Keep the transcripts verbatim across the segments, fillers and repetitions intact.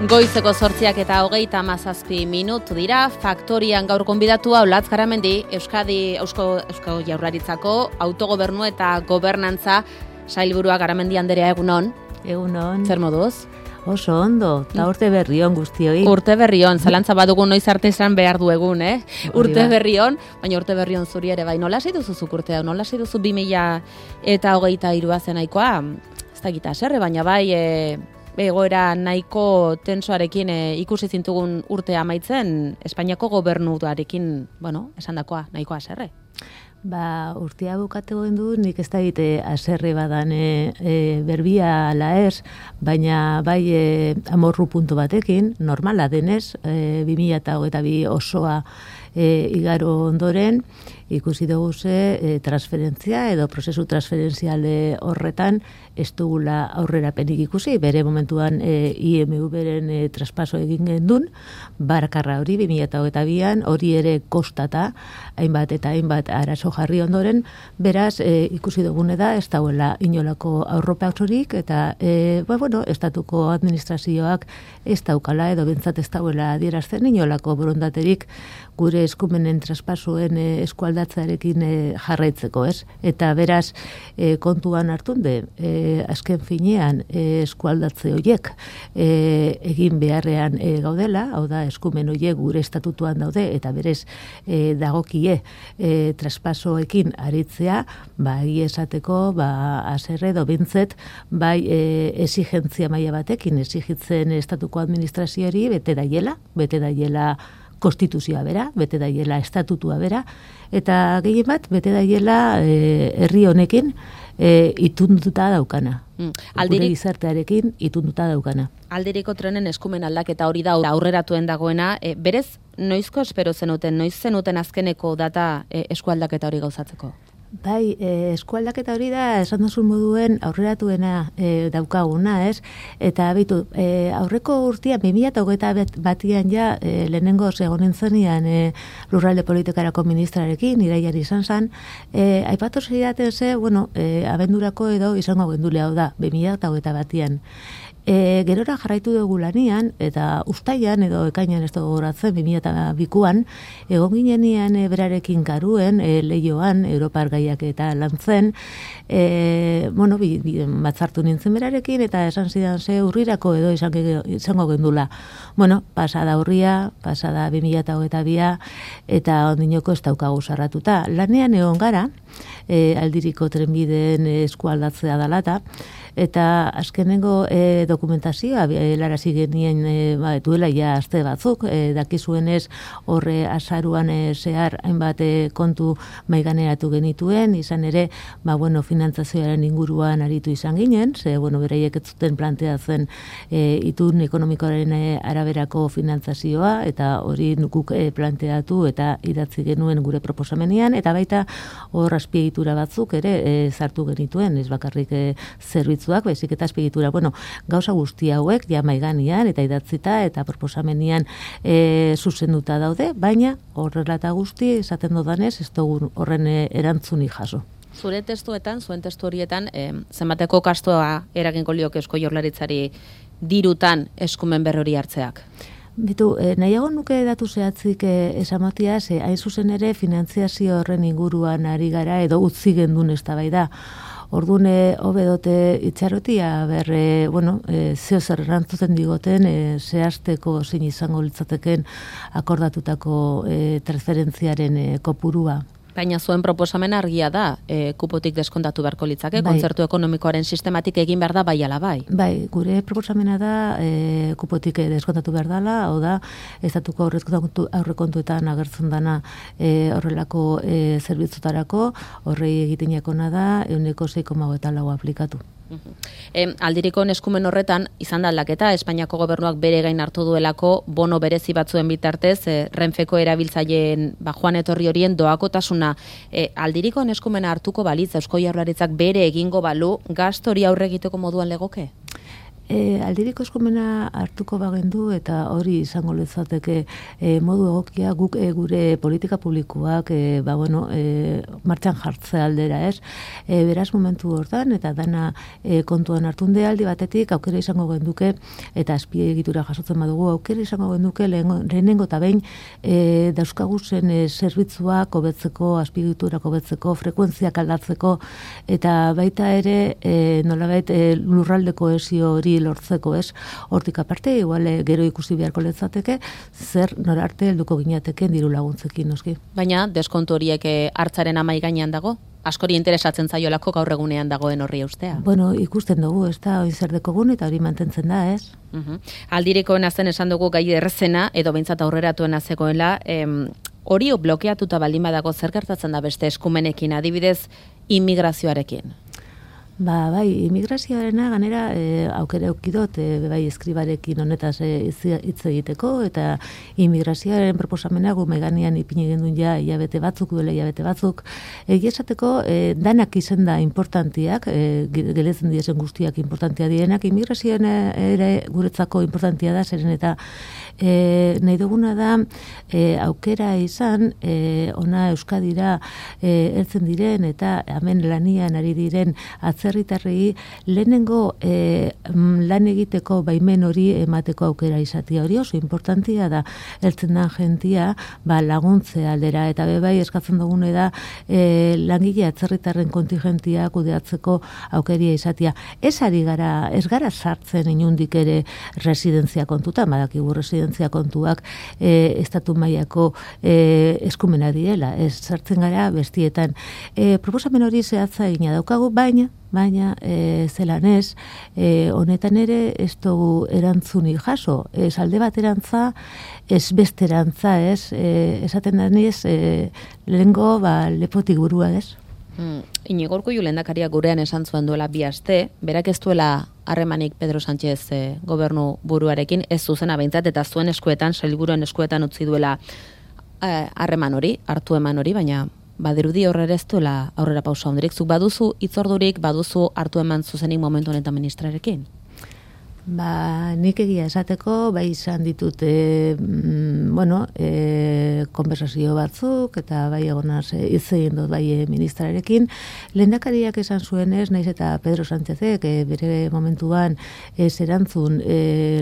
Goizeko zortziak eta hogeita hamazazpi minutu dira, faktorian gaur gonbidatua Olatz Garamendi, Euskadi Eusko, Eusko Jaurlaritzako autogobernu eta gobernantza sailburua. Garamendi anderea, egunon. Egunon. Zer moduz? Oso ondo, eta urte berrion guztioi. Urte berrion, zalantza badugu noiz arte izan behar du egun, eh? Urte berrion, baina urte berrion zuri ere bai. Nola hasi duzu zuk urtea? Nola hasi duzu bi mila eta hogeita hirua zenaikoa? Ez da gita serre, baina bai... E, egoera nahiko tensoarekin e, ikusi zintugun urte amaitzen, Espainiako gobernuarekin, bueno, esandakoa nahiko haserre. Ba, urtea bukatu gendu, nik ez da egite haserre badan e, e, berbia ala ez, baina bai e, amorru puntu batekin, normala denez, e, bi mila eta hogeita bi osoa e, igaro ondoren, ikusi dugu ze e, transferentzia edo prozesu transferentziale horretan ez dugula aurrerapenik ikusi, bere momentuan e, I M V beren e, traspaso egin gendun, barkarra hori bi mila eta hogeita bian, hori ere kostata, hainbat eta hainbat arazo jarri ondoren, beraz e, ikusi dugune da ez dauela inolako aurropatzorik eta e, ba, bueno, estatuko administrazioak ez daukala edo bentsat ez dauela adierazten inolako borondaterik gure eskumenen traspasoen e, eskualdatzearekin e, jarraitzeko, ez? Eta beraz, e, kontuan hartun de, e, azken finean e, eskualdatze horiek e, egin beharrean e, gaudela, hau da, eskumen horiek gure estatutuan daude, eta berez e, dagokie e, traspasoekin aritzea, ba, egia esateko, ba, haserre edo bintzet, bai e, exigentzia maila batekin, exigitzen estatuko administrazioari, bete daiela, bete daiela konstituzioa bera, bete daiela estatutua bera, eta gehien bat, bete daiela e, herri honekin e, itunduta daukana. Mm. Aldirik, gure gizartearekin itunduta daukana. Aldiriko trenen eskumen aldaketa hori da aurreratuen dagoena, e, berez, noizko espero zenuten, noiz zenuten azkeneko data e, eskualdaketa hori gauzatzeko? Bai, e, eskualdaketa hori da, esan duzun moduen aurreratuena e, daukaguna, ez? Eta bitu, e, aurreko urtean, bi mila eta hogeita batian ja, e, lehenengo egonen zenian e, lurralde politikarako ministrarekin, iraiari izan zen, e, aipatu zeidaten ze, bueno, e, abendurako edo izango gendule hau da, bi mila eta hogeita batian. E, gerora jarraitu dugu lanian, eta ustaian edo ekainan ez dugu horatzen, bi mila eta bikuan, egon ginean e, berarekin karuen, e, lehioan, Europar gaiak eta lantzen, e, bueno, bi, bi, batzartu nintzen berarekin, eta esan zidan ze urrirako edo izango, izango gendula. Bueno, pasada urria, pasada bi mila eta hogeita bia, eta ondinoko ez daukagu sarratuta. Lanean egon gara, e, aldiriko trenbideen eskualdatzea dalata, eta azkenengo e, dokumentazioa helarazi genien e, ba, duela ja aste batzuk, e, dakizuenez horre azaruan e, zehar hainbat e, kontu maiganeratu genituen, izan ere, ba, bueno, finantzazioaren inguruan aritu izan ginen, ze, bueno, beraiek ez zuten planteatzen e, itun ekonomikoaren e, araberako finantzazioa, eta hori nukuk e, planteatu eta idatzi genuen gure proposamenian, eta baita hor azpiegitura batzuk ere e, zartu genituen, ez bakarrik e, zerbitzuak, baizik eta azpiegitura, bueno, gauza guzti hauek ja maiganean eta idatzita eta proposamenian e, zuzenduta daude, baina horrela eta guzti esaten dodanez ez dugu horren erantzuni jaso. Zure testuetan, zuen testu horietan, e, zenbateko kastoa eragingo lioke Eusko Jaurlaritzari dirutan eskumen berrori hartzeak? Bitu, eh, nahiago nuke datu zehatzik eh, esamatia, ze hain zuzen ere finantziazio horren inguruan ari gara edo utzi gendun eztabaida. Ordune hobedote itxarotia berre, bueno, e, zeo zer erantzuten digoten, e, zehazteko zein izango litzateken akordatutako e, transferentziaren e, kopurua. Baina zuen proposamen argia da, e, kupotik deskontatu beharko litzake, bai. Kontzertu ekonomikoaren sistematik egin behar da bai ala bai. Bai, gure proposamena da e, kupotik deskontatu behar dela, hau da, estatuko aurrekontuetan agertzen dana e, horrelako e, zerbitzutarako, horrei egitenekona da, ehuneko sei koma hogeita lau aplikatu. E, aldiriko eskumen horretan, izan da aldaketa, Espainiako gobernuak bere gain hartu duelako bono berezi batzuen bitartez, e, Renfeko erabiltzaileen ba, joan etorri horien doakotasuna. E, aldiriko eskumena hartuko balitz, Eusko Jaurlaritzak bere egingo balu, gasto hori aurre egiteko moduan legoke? E, aldiriko eskumena hartuko bagendu eta hori izango litzateke e, modu egokia guk e, gure politika publikoak e, ba, bueno, e, martxan jartzea aldera, ez? E, beraz momentu hortan eta dana e, kontuan hartunde aldi batetik aukera izango genduke eta azpiegitura jasotzen badugu aukera izango genduke lehenengo eta behin e, dauzkaguzen e, zerbitzuak hobetzeko, azpiegiturak hobetzeko, frekuentziak aldatzeko eta baita ere e, nolabait e, lurralde kohesio hori lortzeko, ez? Hortik aparte, igual gero ikusi beharko letzateke, zer norarte helduko ginateken diru laguntzekin, noski. Baina, deskontu horiek hartzaren amai gainean dago? Askori interesatzen zaiolako gaur egunean dagoen horri ustea. Bueno, ikusten dugu, ez da, hori zer dekogun eta hori mantentzen da, ez? Uh-huh. Aldirikoena zen esan dugu gai errezena, edo behintzat aurreratuena zegoela, em, hori blokeatuta baldin badago zer gertatzen da beste eskumenekin, adibidez, immigrazioarekin? Ba, bai, immigrazioarena ganera e, aukera eukidot, e, bai, eskribarekin honetaz e, hitz egiteko, eta immigrazioaren proposamena gu meganian ipini gendun ja hilabete batzuk, duela hilabete batzuk. Egia esateko, e, danak izen da importantiak, e, geletzen diezen guztiak importantia dienak, immigrazioan ere guretzako importantia da, zeren eta e, nahi duguna da e, aukera izan, e, ona Euskadira e, heltzen diren, eta hemen lanian ari diren atzera herritarrei lehenengo e, lan egiteko baimen hori emateko aukera izatea hori oso importantia da heltzen da jentia ba, laguntze aldera eta bebai eskatzen dugune da e, langile atzerritarren kontingentia kudeatzeko aukeria izatea. Ez ari gara, ez gara sartzen inundik ere residentzia kontuta, badakigu residentzia kontuak e, estatu mailako e, eskumena direla, ez sartzen gara bestietan. E, proposamen hori zehatza egina daukagu, baina baina e, zelan ez, e, honetan ere ez dugu erantzuni jaso, ez alde baterantza, ez besterantza, ez, e, esaten daniz, e, lehengo, ba, lepotik burua, ez? Hmm. Inigo Urkullu lehendakaria gurean esan zuen duela bi aste, berak ez duela harremanik Pedro Sánchez e, gobernu buruarekin, ez zuzena behintzat, eta zuen eskuetan, sailburuen eskuetan utzi duela harreman hori, hartu eman hori, baina badirudi horre ez duela aurrera pausa hondirik. Zuk baduzu hitzordurik, baduzu hartu eman zuzenik momentu honetan ministrarekin? Ba, nik egia esateko, bai izan ditut, e, mm, bueno, e, konversazio batzuk, eta bai egonaz hitz egin dut bai ministrarekin. Lehendakariak esan zuenez, naiz eta Pedro Sánchezek e, bere momentuan ez erantzun e,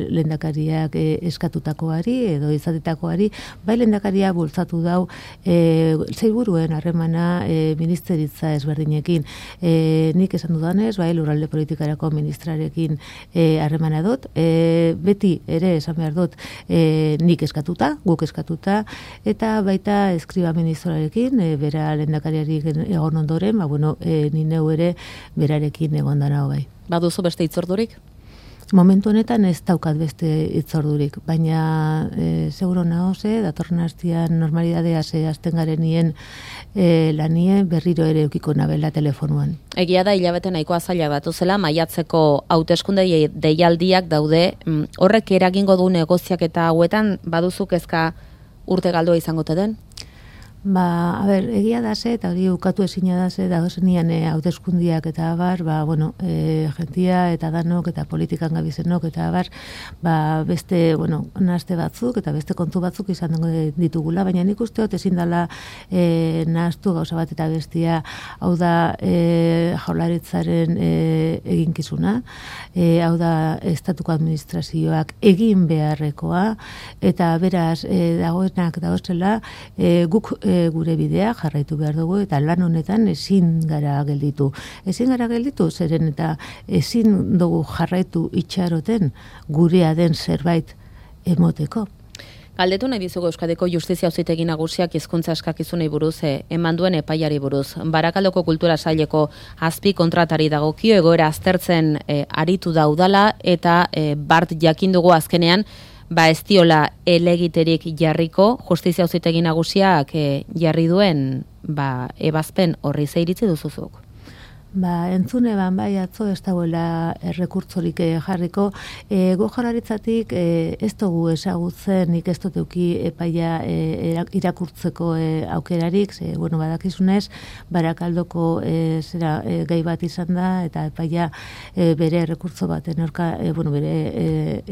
lehendakariak e, eskatutakoari edo izatitakoari, bai lehendakaria bultzatu dau e, sailburuen harremana e, ministeritza ezberdinekin. E, nik esan dudanez, bai lurralde politikarako ministrarekin harremana e, dut, e, beti ere esan behar dut e, nik eskatuta, guk eskatuta, eta baita eskriba ministroarekin, e, bera lehendakariari egon ondoren, ba, bueno, e, ni neu ere berarekin egon dana bai. Baduzu beste hitzordurik? Momentu honetan ez daukat beste hitzordurik, baina e, seguro nahoze, datorren hastian normalidadea ze azten garenien e, lanie berriro ere eukiko nabela telefonuan. Egia da hilabete nahikoa zaila batu zela, maiatzeko hauteskunde deialdiak daude, horrek eragingo du negoziak eta hauetan baduzu kezka urte galdua izango te den? Ba, a ber, egia da ze, eta hori ukatu ezina da ze, da zenian e, hauteskundiak eta abar, ba, bueno, e, jentia eta danok eta politikan gabizenok eta abar, ba, beste, bueno, nahazte batzuk eta beste kontu batzuk izan ditugula, baina nik usteot ezin dela e, nahaztu gauza bat eta bestia, hau da e, jaularitzaren e, eginkizuna, e, hau da estatuko administrazioak egin beharrekoa, eta beraz, e, dagoenak dagozela, e, guk e, gure bidea jarraitu behar dugu eta lan honetan ezin gara gelditu. Ezin gara gelditu, zeren eta ezin dugu jarraitu itxaroten gurea den zerbait emoteko. Galdetu nahi dizugu Euskadiko Justizia Auzitegi Nagusiak hizkuntza eskakizunei buruz e, eman duen epaiari buruz. Barakaldoko Kultura Saileko azpi kontratari dagokio egoera aztertzen e, aritu da udala eta e, bart jakin dugu azkenean ba ez diola elegiterik jarriko, Justizia Auzitegi Nagusiak e, jarri duen ba ebazpen horri ze iritzi duzuzuk? Ba, entzune ban, bai, atzo ez dagoela errekurtzorik jarriko. E, go Jaurlaritzatik e, ez dugu ezagutzen, nik ez dut euki epaia e, irakurtzeko e, aukerarik, ze, bueno, badakizunez, Barakaldoko e, zera, e, gai bat izan da, eta epaia e, bere errekurtzo baten aurka, e, bueno, bere e,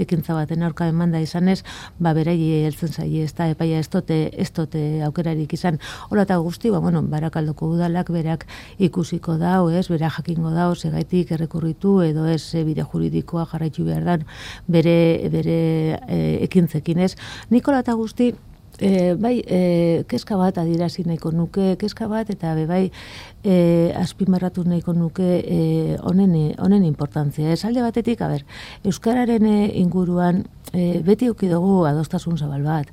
ekintza baten aurka emanda izanez, ba, berai heltzen zaie, ez da, epaia ez dute, ez dute aukerarik izan. Hola eta guzti, ba, bueno, Barakaldoko udalak berak ikusiko dau, ez, bera jakingo dau, segaitik errekurritu edo ez e, bide juridikoa jarraitu behar dan bere, bere e, ekintzekin, ez. Nikola eta guzti, e, bai, e, kezka bat adirazi nahiko nuke, kezka bat, eta be bai, e, azpimarratu nahiko nuke e, honen, honen importantzia. Ez alde batetik, a ber, euskararen inguruan e, beti uki dugu adostasun zabal bat.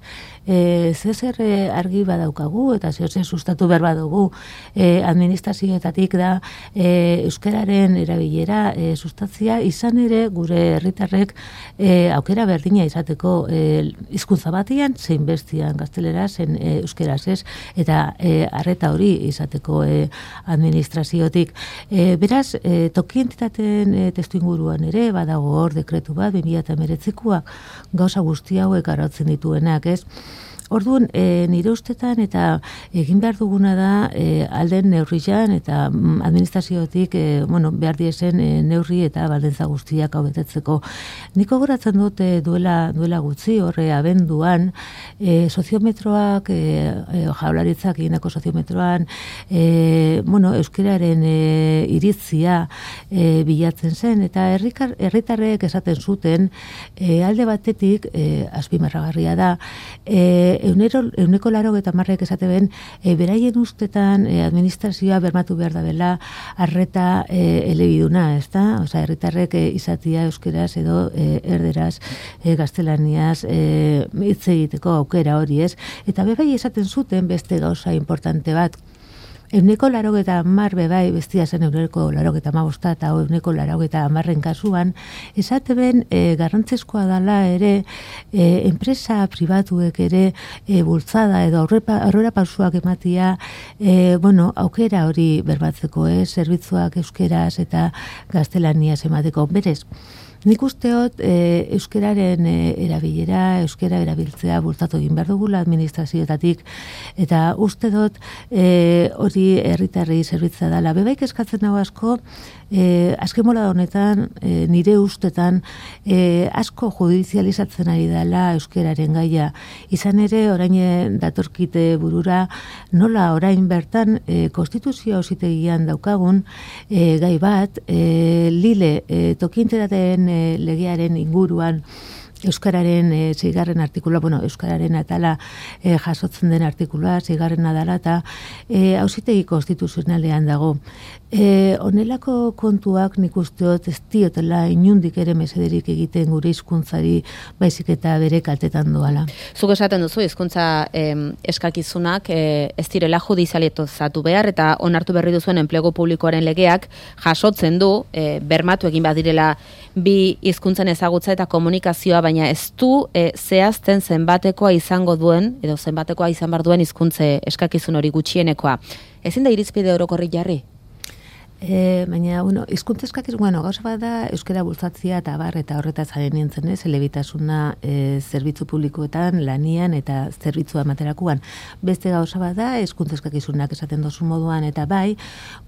E, zezer argi badaukagu eta zezer sustatu behar badugu e, administrazioetatik da e, euskararen erabilera e, sustatzia izan ere gure herritarrek e, aukera berdina izateko e, hizkuntza batian zein bestian gaztelera zen e, euskeraz ez eta e, arreta hori izateko e, administraziotik. E, beraz, e, toki entitateen e, testu inguruan ere badago hor dekretu bat bi mila hemeretzikoak gauza guzti hauek arautzen dituenak, ez? Orduan, e, nire ustetan eta egin behar duguna da e, alden neurrian eta mm, administraziotik e, bueno, behar diezen e, neurri eta baldintza guztiak hau betetzeko. Niko goratzen dut e, duela, duela gutxi, horre abenduan, e, soziometroak, e, e, Jaurlaritzak eginako soziometroan, e, bueno, euskararen e, iritzia e, bilatzen zen, eta herrikar, herritarrek esaten zuten, e, alde batetik, e, azpimarragarria da, e, Eunero, euneko laro eta marrek esate ben, e, beraien ustetan e, administrazioa bermatu behar da bela arreta e, elebiduna, ez da? Osa, herritarrek e, izatia euskeraz edo e, erderaz, e, gaztelaniaz e, hitz egiteko aukera hori, ez? Eta bebai esaten zuten beste gauza importante bat, euneko larogeta hamar bebai, bestia zen euneko larogeta hamabosta eta euneko larogeta hamarren kasuan, esate ben e, garrantzizkoa dala ere e, enpresa pribatuek ere e, bultzada edo aurrera pausuak ematia e, bueno, aukera hori berbatzeko, eh, zerbitzuak euskeraz eta gaztelaniaz emateko. Berez, nik usteot e, euskeraren e, erabilera, euskera erabiltzea bultzatu egin behar dugula administrazioetatik, eta uste dut e, hori herritarrei zerbitza dela. Bebaik eskatzen hau asko, e, azken mola honetan, e, nire ustetan, e, asko judizializatzen ari dela euskeraren gaia. Izan ere, orain datorkite burura, nola orain bertan e, konstituzio auzitegian daukagun e, gai bat, e, lile, e, tokiinteraten legearen inguruan euskararen e, zeigarren artikulua, bueno, euskararen atala e, jasotzen den artikulua, zeigarren adala eta e, auzitegi konstituzionalean dago. E, onelako kontuak nik usteot ez diotela inundik ere mesederik egiten gure hizkuntzari baizik eta bere kaltetan doala. Zuk esaten duzu, hizkuntza eh, eskakizunak eh, ez direla judizializatu behar eta onartu berri duzuen enplegu publikoaren legeak jasotzen du, eh, bermatu egin badirela bi hizkuntzen ezagutza eta komunikazioa, baina ez du e, zehazten zenbatekoa izango duen, edo zenbatekoa izan bar duen hizkuntze eskakizun hori gutxienekoa. Ezin da irizpide orokorri jarri? E, baina, bueno, hizkuntzeskak, bueno, gauza bada euskara bultzatzia eta bar eta horretaz jaren nintzen, ez, elebitasuna e, zerbitzu publikoetan, lanian eta zerbitzua materakuan. Beste gauza bada hizkuntzeskak izunak esaten dozu moduan, eta bai,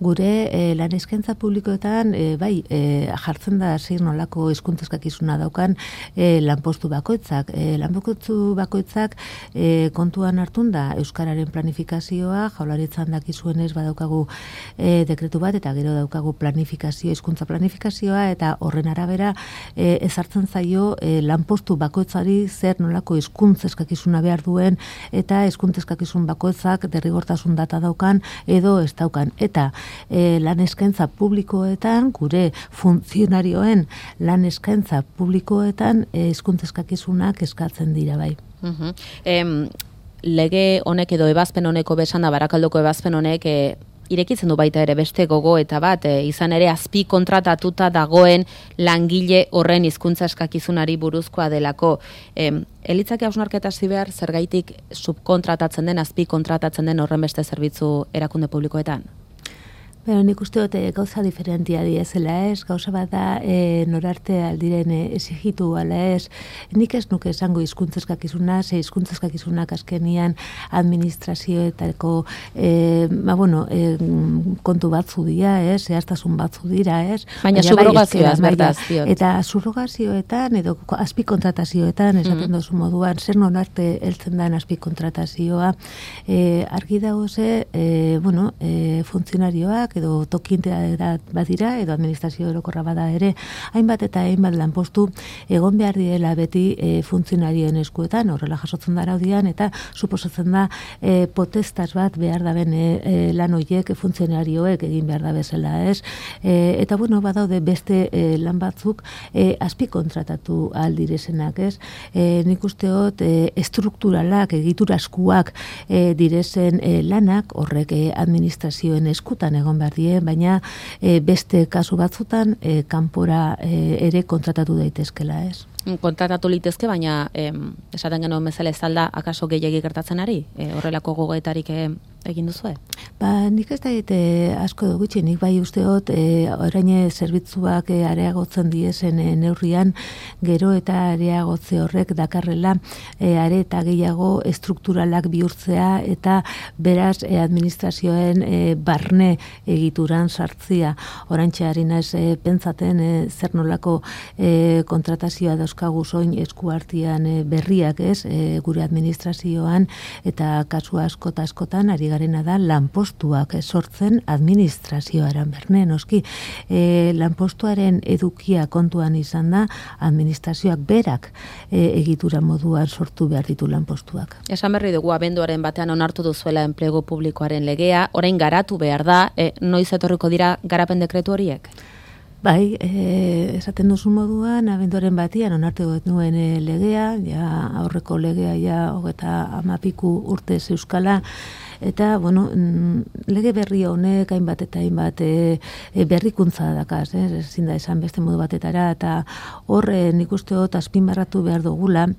gure e, lan eskaintza publikoetan, e, bai, e, jartzen da zir nolako hizkuntzeskak izuna daukan e, lanpostu bakoitzak. E, lanpostu bakoitzak e, kontuan hartun da euskararen planifikazioa, Jaurlaritzan dakizuenez badaukagu e, dekretu bat, eta gero daukagu planifikazio, hizkuntza planifikazioa, eta horren arabera e, ezartzen zaio e, lanpostu bakoitzari zer nolako hizkuntza eskakizuna behar duen, eta hizkuntza eskakizun bakoitzak derrigortasun data daukan edo ez daukan. Eta e, lan eskaintza publikoetan, gure funtzionarioen lan eskaintza publikoetan hizkuntza eskakizunak eskatzen dira bai. Uh-huh. Em, lege honek edo ebazpen honeko besan da, Barakaldoko ebazpen honek e, irekitzen du baita ere beste gogo eta bat, e, izan ere azpi kontratatuta dagoen langile horren hizkuntza eskakizunari buruzkoa delako. E, elitzake hausnarketa hasi behar zergaitik subkontratatzen den, azpi kontratatzen den horren beste zerbitzu erakunde publikoetan? Pero nik uste dut gauza diferentia diezela ez, gauza bat da e, norarte aldiren exigitu ala ez, nik ez nuke esango hizkuntzeskakizuna, ze hizkuntzeskakizunak azkenian administrazioetako e, ba, bueno, e, kontu batzu dira, ez, zehaztasun batzu dira, ez. Baina subrogazioaz, bertaz, diot. Eta subrogazioetan, edo azpikontratazioetan, esaten mm-hmm. dozu moduan, zer nonarte heltzen den azpikontratazioa, e, argi dago ze, e, bueno, e, funtzionarioak, edo tokintea badira, edo administrazio orokorra bada ere, hainbat eta hainbat lanpostu egon behar direla beti e, funtzionarioen eskuetan, horrela jasotzen da araudian, eta suposatzen da e, potestas bat behar daben e, e, lan horiek funtzionarioek egin behar da bezala, ez? E, eta bueno, badaude beste e, lan batzuk e, azpikontratatu aldirezenak, ez? E, nik usteot e, estrukturalak, egituraskuak e, direzen e, lanak, horrek e, administrazioen eskutan egon behar die, baina e, beste kasu batzutan e, kanpora e, ere kontratatu daitezkela, ez? Kontratatu litezke, baina em, esaten genuen bezala ez alda akaso gehiagi gertatzen ari? E, horrelako gogoetarik e, egin duzue? Ba, nik ez da e, asko dugutxe, nik bai usteot e, orain zerbitzuak e, areagotzen diezen e, neurrian, gero eta areagotze horrek dakarrela e, are eta gehiago estrukturalak bihurtzea eta beraz e, administrazioen e, barne egituran sartzia. Oraintxe ari naiz e, pentsaten e, zer nolako e, kontratazioa dauzkagu soin eskuartian e, berriak ez, e, gure administrazioan, eta kasu askota askotan ari garena da lanpostuak sortzen administrazioaren berne, noski. E, lanpostuaren edukia kontuan izan da, administrazioak berak e, egitura moduan sortu behar ditu lanpostuak. Esan berri dugu abenduaren batean onartu duzuela enplegu publikoaren legea, orain garatu behar da, e, noiz etorriko dira garapen dekretu horiek? Bai, e, esaten duzu moduan, abenduaren batian onartu nuen e, legea, ja aurreko legea ja hogeta amapiku urte euskala, eta, bueno, lege berri honek hainbat eta hainbat e, e, berrikuntza dakaz, eh? Ezin da esan beste modu batetara, eta horre nik uste dut azpimarratu behar dugula,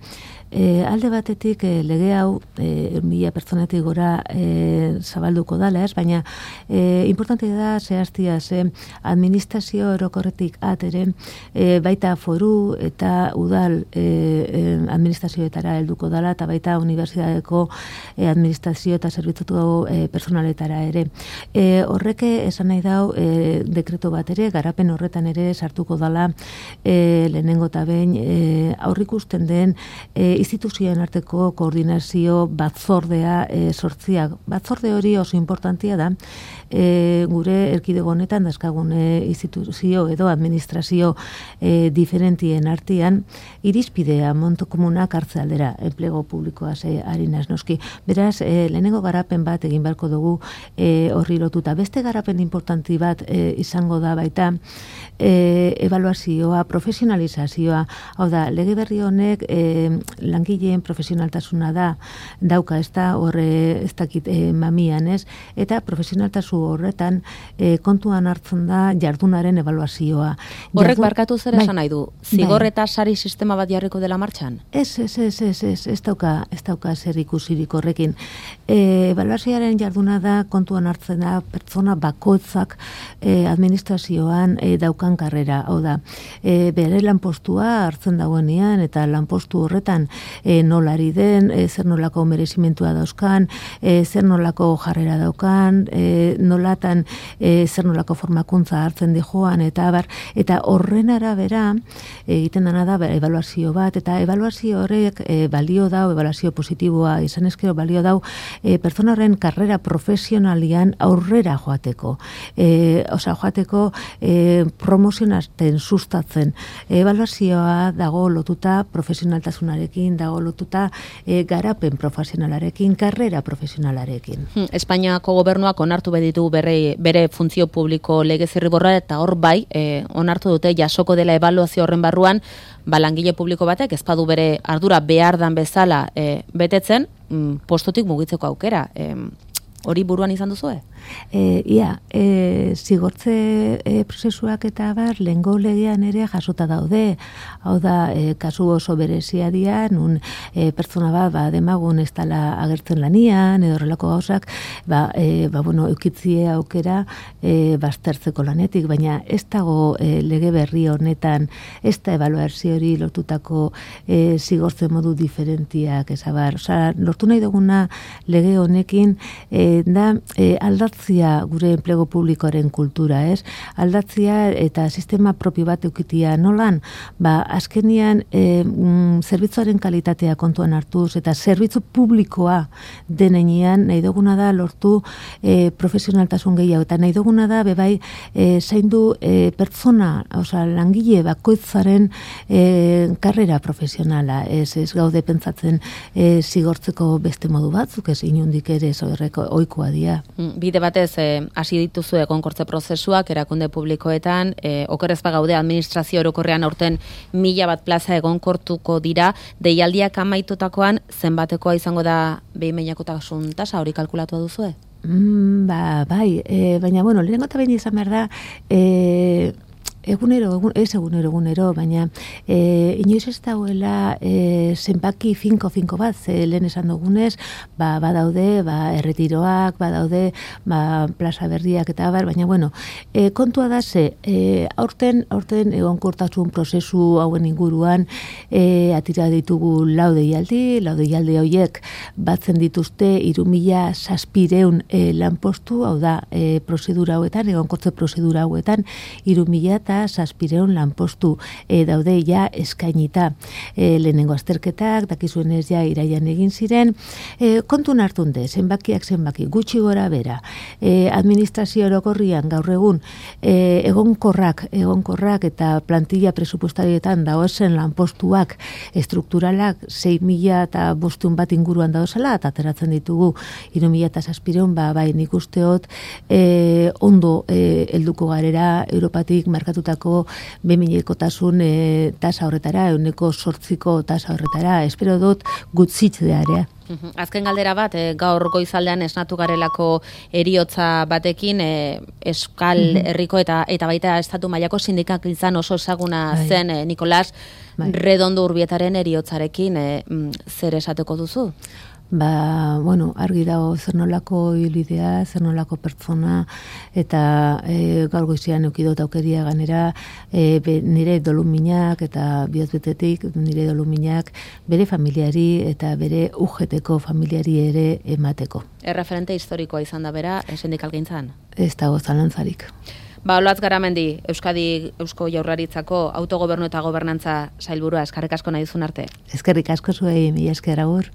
E, alde batetik e, lege hau e, mila pertsonetik gora e, zabalduko dala, ez? Baina e, importante da zehaztia ze administrazio orokorretik atere e, baita foru eta udal e, e, administrazioetara helduko dala, eta baita unibertsitateko e, administrazio eta zerbitzutu e, personaletara ere. E, horreke esan nahi dau e, dekreto bat ere, garapen horretan ere sartuko dala e, lehenengo eta behin e, aurrikusten den e, instituzioen arteko koordinazio batzordea e, sortziak. Batzorde hori oso importantia da, e, gure erkidego honetan dazkagun e, instituzio edo administrazio e, diferentien artean, irizpidea monto komunak hartze aldera, enplego publikoa ze harinaz noski. Beraz, e, lehenengo garapen bat egin beharko dugu e, horri lotuta. Beste garapen importanti bat e, izango da baita, e, evaluazioa, profesionalizazioa, hau da, lege berri honek e, langileen profesionaltasuna da, dauka ez da, horre ez dakit e, mamian ez, eta profesionaltasu horretan e, kontuan hartzen da jardunaren evaluazioa. Horrek Jardun... barkatu zer esan nahi du? Zigor eta sari sistema bat jarriko dela martxan? Ez, ez, ez, ez, ez, ez dauka, ez dauka zer ikusirik horrekin. E, evaluazioaren jarduna da, kontuan hartzen da, pertsona bakoitzak e, administrazioan e, daukan karrera, hau da, e, bere lanpostua hartzen dagoenean, eta lanpostu horretan e, nolari den, e, zer nolako merezimentua dauzkan, e, zer nolako jarrera daukan, e, nolatan e, zer nolako formakuntza hartzen di joan, eta abar, eta horren arabera egiten dena da evaluazio bat, eta evaluazio horrek e, balio dau, evaluazio positiboa izan ezkero balio dau, e, pertsona horren karrera profesionalian aurrera joateko. E, osa, joateko e, promozionatzen, sustatzen. Evaluazioa dago lotuta profesionaltasunarekin, dago lotuta e, garapen profesionalarekin, karrera profesionalarekin. Hmm, Espainiako gobernuak onartu beditu bere, bere funtzio publiko lege zirriborra, eta hor bai, e, onartu dute jasoko dela ebaluazio horren barruan, ba, langile publiko batek ezpadu bere ardura behar dan bezala e, betetzen, mm, postotik mugitzeko aukera. E, hori buruan izan duzue? e, ia, e, zigortze e, prozesuak eta bar, lehengo legean ere jasota daude, hau da, e, kasu oso berezia dira, nun e, pertsona bat, ba, demagun ez dala agertzen lanian, edo horrelako gauzak, ba, e, ba, bueno, eukitzie aukera e, baztertzeko lanetik, baina ez dago e, lege berri honetan, ez da ebaluazio hori lortutako e, zigortzen modu diferentiak, ezabar, osea, lortu nahi duguna lege honekin, e, da e, aldatzia gure enplegu publikoaren kultura, ez? Aldatzia eta sistema propio bat eukitia nolan, ba, azkenian e, mm, zerbitzuaren kalitatea kontuan hartuz eta zerbitzu publikoa denean nahi duguna da lortu e, profesionaltasun gehiago eta nahi duguna da bebai e, zaindu e, pertsona, osea, langile bakoitzaren e, karrera profesionala, ez, ez gaude pentsatzen e, zigortzeko beste modu batzuk, ez inundik ere zoerreko oikoa dia. Bide batez, hasi e, dituzu egonkortze prozesuak erakunde publikoetan, e, okerrez bagaude administrazio orokorrean aurten mila bat plaza egonkortuko dira, deialdiak amaitutakoan zenbatekoa izango da behin behinekotasun tasa hori kalkulatu duzue? Mm, ba, bai, e, baina, bueno, lehenengo eta behin izan behar da, e, egunero, egun, ez egunero, egunero, baina e, inoiz ez dagoela e, zenbaki finko-finko bat, ze lehen esan dugunez, ba, badaude, ba, erretiroak, badaude, ba, plaza berriak eta bar, baina, bueno, e, kontua da ze, e, aurten, aurten egonkortasun prozesu hauen inguruan, e, atira ditugu lau deialdi, lau deialdi horiek batzen dituzte hiru mila zazpiehun e, lanpostu, hau da, e, prozedura hauetan, egonkortze prozedura hauetan, hiru mila eta zazpiehun lanpostu e, daude ja eskainita. E, lehenengo azterketak, dakizuenez ja iraian egin ziren, e, kontun hartunde, zenbakiak zenbaki, gutxi gora bera, e, administrazio orokorrian gaur egun e, egonkorrak, egonkorrak eta plantilla presupostarietan daozen lanpostuak estrukturalak sei mila eta bostehun bat inguruan daozela, eta ateratzen ditugu hiru mila eta zazpiehun, ba, bai nik usteot e, ondo e, helduko garera Europatik markatu beminekotasun e, tasa horretara, euneko sortziko tasa horretara, espero dut gutzitzearea. Azken galdera bat, e, gaur goizaldean esnatu garelako eriotza batekin, e, Euskal Herriko eta eta baita estatu mailako sindikalizan oso ezaguna zen e, Nikolas Bai. Redondo Urbietaren eriotzarekin, e, zer esateko duzu? Ba, bueno, argi dago zer nolako hilidea, zer nolako pertsona, eta e, gaur goizean eukidot aukeria ganera e, be, nire doluminak eta bihotbetetik nire doluminak bere familiari eta bere ujeteko familiari ere emateko. Erreferente historikoa izan da bera, sindikalgintzan? Ez dago zalantzarik. Ba, Olatz Garamendi, Euskadi Eusko Jaurlaritzako autogobernu eta gobernantza sailburua, eskerrik asko nahi duzun arte. Eskerrik asko zuei, mila esker agur.